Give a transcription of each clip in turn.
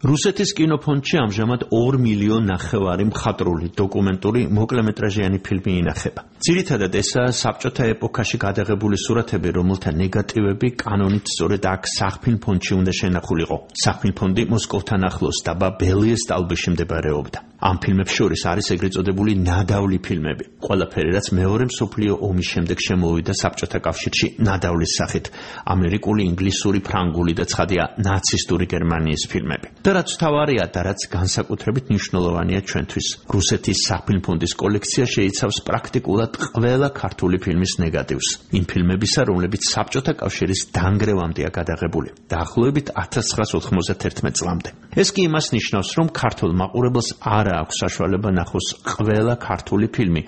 რუსეთის კინოფონდში ამჟამად 2 მილიონ ნახევარი მხატვრული დოკუმენტური მოკლემეტრაჟიანი ფილმი ინახება. ძირითადად ესაა საბჭოთა ეპოქაში გადაღებული სურათები, რომელთა ნეგატივები კანონით სწორედ აქ სახფილმფონდში უნდა შენახულიყო. სახფილმფონდი მოსკოვთან ახლოს დაბა ბელიეს სტალბეში მდებარეობდა. ამ ფილმებს შორის არის ეგრეთ წოდებული ნადავლი ფილმები. ყველაფერი, რაც მეორე მსოფლიო ომის შემდეგ შემოვიდა საბჭოთა კავშირში ნადავლის სახით, ამერიკული, ინგლისური, ფრანგული და ცხადია ნაცისტური გერმანიის ფილმები. და რაც თავარია და რაც განსაკუთრებით მნიშვნელოვანია ჩვენთვის, რუსეთის სახფილმფონდის კოლექცია შეიცავს პრაქტიკულად ყველა ქართული ფილმის ნეგატივს. იმ ფილმებისა, რომლებიც საბჭოთა კავშირის დანგრევამდეა გადაღებული, დაახლოებით 1991 წლამდე. ეს კი იმას ნიშნავს, რომ ქართულ მაყურებელს არ აქვს საშუალება ნახოს ყველა ქართული ფილმი,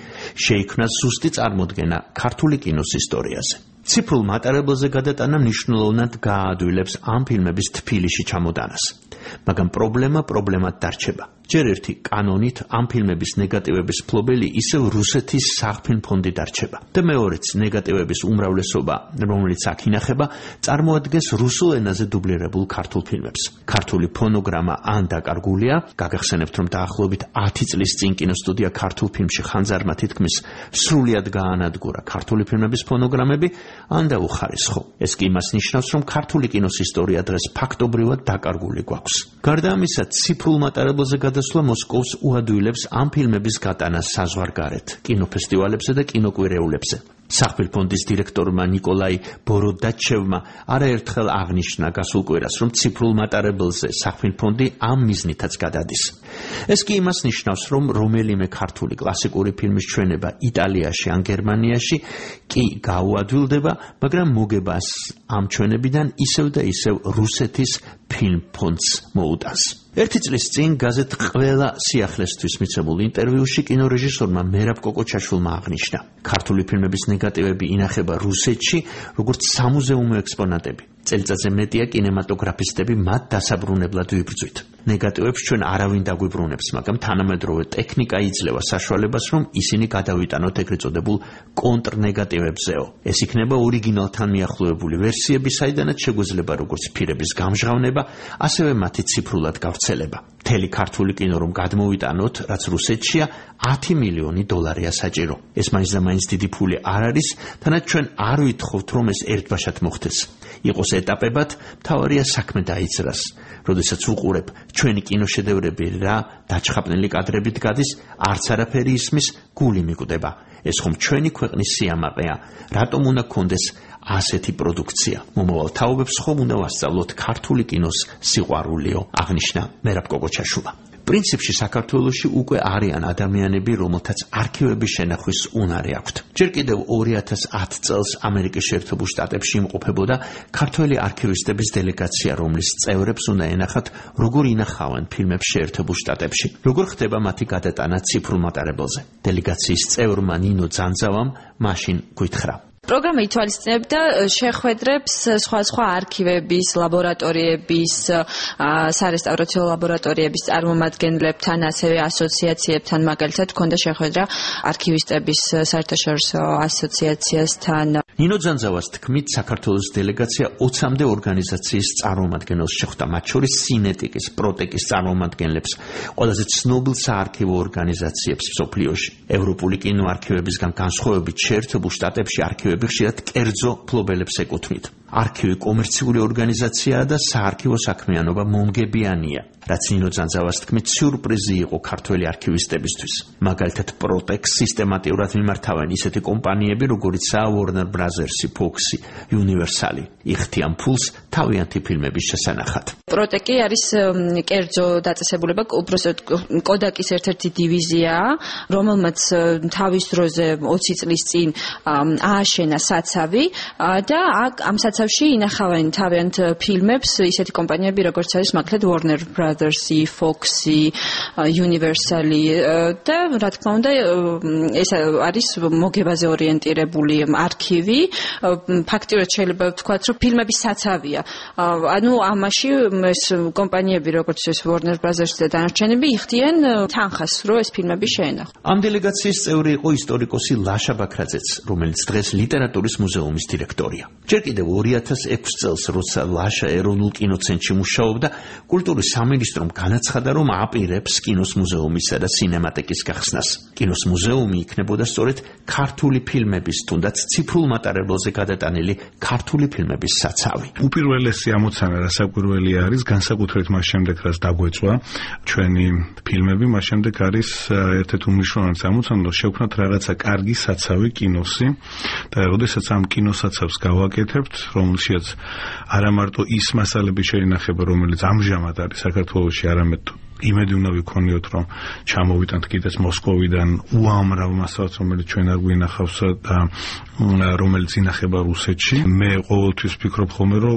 შეიქმნას ზუსტი წარმოდგენა ქართული კინოს ისტორიაზე. ციფრულ მატარებელზე გადატანა მნიშვნელოვნად გააადვილებს ამ ფილმების თბილისში ჩამოტანას. მაგრამ პრობლემად დარჩება. ჯერ ერთი კანონით ამ ფილმების ნეგატივების ფლობელი ისევ რუსეთის სახფილმფონდი დარჩება. და მეორეც ნეგატივების უმრავლესობა, რომელიც აქ ინახება, წარმოადგენს რუსულ ენაზე დუბლირებულ ქართულ ფილმებს. ქართული ფონოგრამა ან დაკარგულია, გაგახსენებთ, რომ დაახლოებით 10 წლის წინ კინოსტუდია ქართულ ფილმში ხანძარმა თითქმის სრულად გაანადგურა ქართული ფილმების ფონოგრამები, ან დაუხარისხო. ეს კი იმას ნიშნავს, რომ ქართული კინოს ისტორია დღეს ფაქტობრივად დაკარგული გვაქვს. გარდა ამისა, ციფრულ მატარებელზე გადასვლა მოსკოვს უადვილებს ამ ფილმების გატანას საზღვარგარეთ, კინოფესტივალებზე და კინოკვირეულებზე. სახფილმფონდის დირექტორმა ნიკოლაი ბოროდაჩევმა არაერთხელ აღნიშნა გასულ კვირას, რომ ციფრულ მატარებელზე სახფილმფონდი ამ მიზნითაც გადადის. ეს კი იმას ნიშნავს, რომ რომელიმე ქართული კლასიკური ფილმის ჩვენება იტალიაში ან გერმანიაში კი გაუადვილდება, მაგრამ მოგებას ამ ჩვენებიდან ისევ და ისევ რუსეთის ფილმფონდს მოუტანს. ერთი წლის წინ გაზეთ ყველა სიახლესთვის მიცემულ ინტერვიუში კინორეჟისორმა მერაბ კოკოჩაშვილმა აღნიშნა, ქართული ფილმების ნეგატივები ინახება რუსეთში როგორც სამუზეუმო ექსპონატები. წელიწადზე მეტია კინემატოგრაფისტები მათ დასაბრუნებლად ვიბრძვით. ნეგატივებს ჩვენ არავინ დაგვიბრუნებს, მაგრამ თანამედროვე ტექნიკა იძლევა საშუალებას, რომ ისინი გადავიტანოთ ეგრეთ წოდებულ კონტრნეგატივებზეო. ეს იქნება ორიგინალთან მიახლოებული ვერსიები, საიდანაც შეგვეძლება როგორც ფირების გამჟღავნება, ასევე მათი ციფრულად გავრცელება. მთელი ქართული კინო რომ გადმოვიტანოთ, რაც რუსეთშია, 10 მილიონი დოლარია საჭირო. ეს მაინც და მაინც დიდი ფული არ არის, თანაც ჩვენ არ ვითხოვთ, რომ ეს ერთბაშად მოხდეს. იყოს ეტაპებად, მთავარია საქმე დაიძრას. როდესაც უყურებ ჩვენი კინოშედევრები რა დაჩხაპნელი კადრებით გადის, არც არაფერი ისმის, გული მიკვდება. ეს ხომ ჩვენი ქვეყნის სიამაყეა, რატომ უნდა გქონდეს ასეთი პროდუქცია? მომავალ თაობებს ხომ უნდა ვასწავლოთ ქართული კინოს სიყვარულიო, აღნიშნა მერაბ კოკოჩაშვილმა. პრინციპში საქართველოში უკვე არიან ადამიანები, რომელთაც არქივების შენახვის უნარი აქვთ. ჯერ კიდევ 2010 წელს ამერიკის შეერთებულ შტატებში იმყოფებოდა ქართველი არქივისტების დელეგაცია, რომლის წევრებს უნდა ენახათ, როგორ ინახავენ ფილმებს შეერთებულ შტატებში, როგორ ხდება მათი გადატანა ციფრულ მატარებელზე. დელეგაციის წევრმა ნინო ძანძავამ მაშინ გვითხრა. პროგრამა ითვალისწინებდა შეხვედრებს სხვა არქივების, ლაბორატორიების, სარესტავრაციო ლაბორატორიების წარმომადგენლებთან, ასევე ასოციაციებთან, მაგალითად, ჰქონდა შეხვედრა არქივისტების საერთაშორისო ასოციაციასთან. ნინო ძანძავას თქმით, საქართველოს დელეგაცია 20-მდე ორგანიზაციის წარმომადგენელს შეხვდა, მათ შორის სინეტიკის, პროტეკის წარმომადგენლებს, ყველაზე ცნობილ საარქივო ორგანიზაციებს მსოფლიოში. ევროპული კინოარქივებისგან განსხვავებით შეერთებულ შტატებში არქივები ხშირად კერძო ფლობელებს ეკუთვნით. არქივი კომერციული ორგანიზაციაა და საარქივო საქმიანობა მომგებიანია, რაც ნინო ძანძავას თქმით სიურპრიზი იყო ქართველი არქივისტებისთვის. მაგალითად, პროტეკს სისტემატიურად მიმართავენ ისეთი კომპანიები, როგორიცაა Warner Brothers-ი, Fox-ი, Universal-ი, იხდიან ფულს თავიანთი ფილმების შესანახად. პროტეკი არის კერძო დაწესებულება, უბრალოდ კოდაკის ერთ-ერთი დივიზიაა, რომელმაც თავის დროზე 20 წლის წინ ააშენა საცავი და ამ საცავში ინახავენ თავიანთ ფილმებს ისეთი კომპანიები, როგორც არის მაგალითად Warner Brothers-ი, Fox-ი, Universal-ი და რა თქმა უნდა ეს არის მოგებაზე ორიენტირებული არქივი. ფაქტიურად შეიძლება ვთქვათ, რომ ფილმების საცავია. ანუ ამაში ეს კომპანიები, როგორც ეს Warner Brothers და დანარჩენები იხდიან თანხას, რომ ეს ფილმები შეენახონ. ამ დელეგაციის წევრი იყო ისტორიკოსი ლაშა ბაქრაძეც, რომელიც დღეს ლიტერატურის მუზეუმის დირექტორია. ჯერ კიდევ 2006 წელს, როცა ლაშა ეროვნულ კინოცენტრში მუშაობდა, კულტურის სამინისტრომ განაცხადა, რომ აპირებს კინოს მუზეუმისა და სინემატიკის გახსნას. კინოს მუზეუმი იქნებოდა სწორედ ქართული ფილმების, თუნდაც ციფრულ მატარებელზე გადატანილი ქართული ფილმების საცავი. უპირველესი ამოცანა რასაკვირველი არის, განსაკუთრებით მას შემდეგ, რაც დაგვეწვა ჩვენი ფილმები, მას შემდეგ არის ერთ-ერთი უმნიშვნელოვანესი ამოცანა, რომ შევქმნათ რაღაცა კარგი საცავი კინოსი და როდესაც ამ კინოსაცავს გავაკეთებთ, რომელშიც არა მარტო ის მასალები შეინახება, რომელიც ამჟამად არის საქართველოში, არამედ იმედი უნდა ვიქონიოთ, რომ ჩამოვიტანთ კიდეც მოსკოვიდან უამრავ მასალას, რომელიც ჩვენ არ გვინახავს და რომელიც ინახება რუსეთში. მე ყოველთვის ვფიქრობ ხოლმე, რომ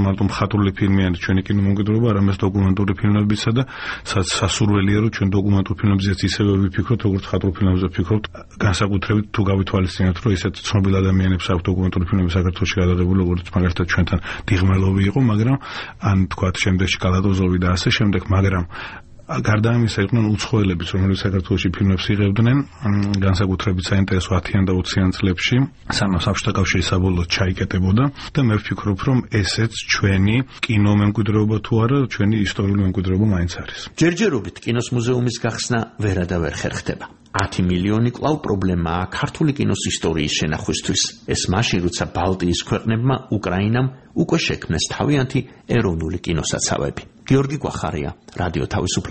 მარტო მხატვრული ფილმი არის ჩვენი კინომემკვიდრეობა, არამედ დოკუმენტური ფილმებისა და სასურველია, რომ ჩვენ დოკუმენტურ ფილმებზეც ისევე ვიფიქროთ, როგორც მხატვრულ ფილმებზე ვფიქრობთ, განსაკუთრებით თუ გავითვალისწინებთ, რომ ისეთ ცნობილ ადამიანებს აქვს დოკუმენტური ფილმები საქართველოში გადაღებული, როგორც მაგალითად ჩვენთან დიღმელოვი იყო, მაგრამ ან თქვათ შემდეგში კალატოზოვი და ასე შემდეგ, მაგრამ გარდა ამისა იყვნენ უცხოელებიც, რომლებიც საქართველოში ფილმებს იღებდნენ, განსაკუთრებით საინტერესო 10-იან და 20-იან წლებში, სანამ საბჭოთა კავშირი საბოლოოდ ჩაიკეტებოდა და მე ვფიქრობ, რომ ესეც ჩვენი კინომემკვიდრეობა თუ არა, ჩვენი ისტორიული მემკვიდრეობა მაინც არის. ჯერჯერობით კინოს მუზეუმის გახსნა ვერადავერ ხერხდება. 10 მილიონი კვლავ პრობლემაა ქართული კინოს ისტორიის შენახვისთვის. ეს მაშინ, როცა ბალტიის ქვეყნებმა უკრაინამ უკვე შექმნეს თავიანთი ეროვნული კინოსაცავები. გიორგი კვახარია, რადიო თავისუფლება.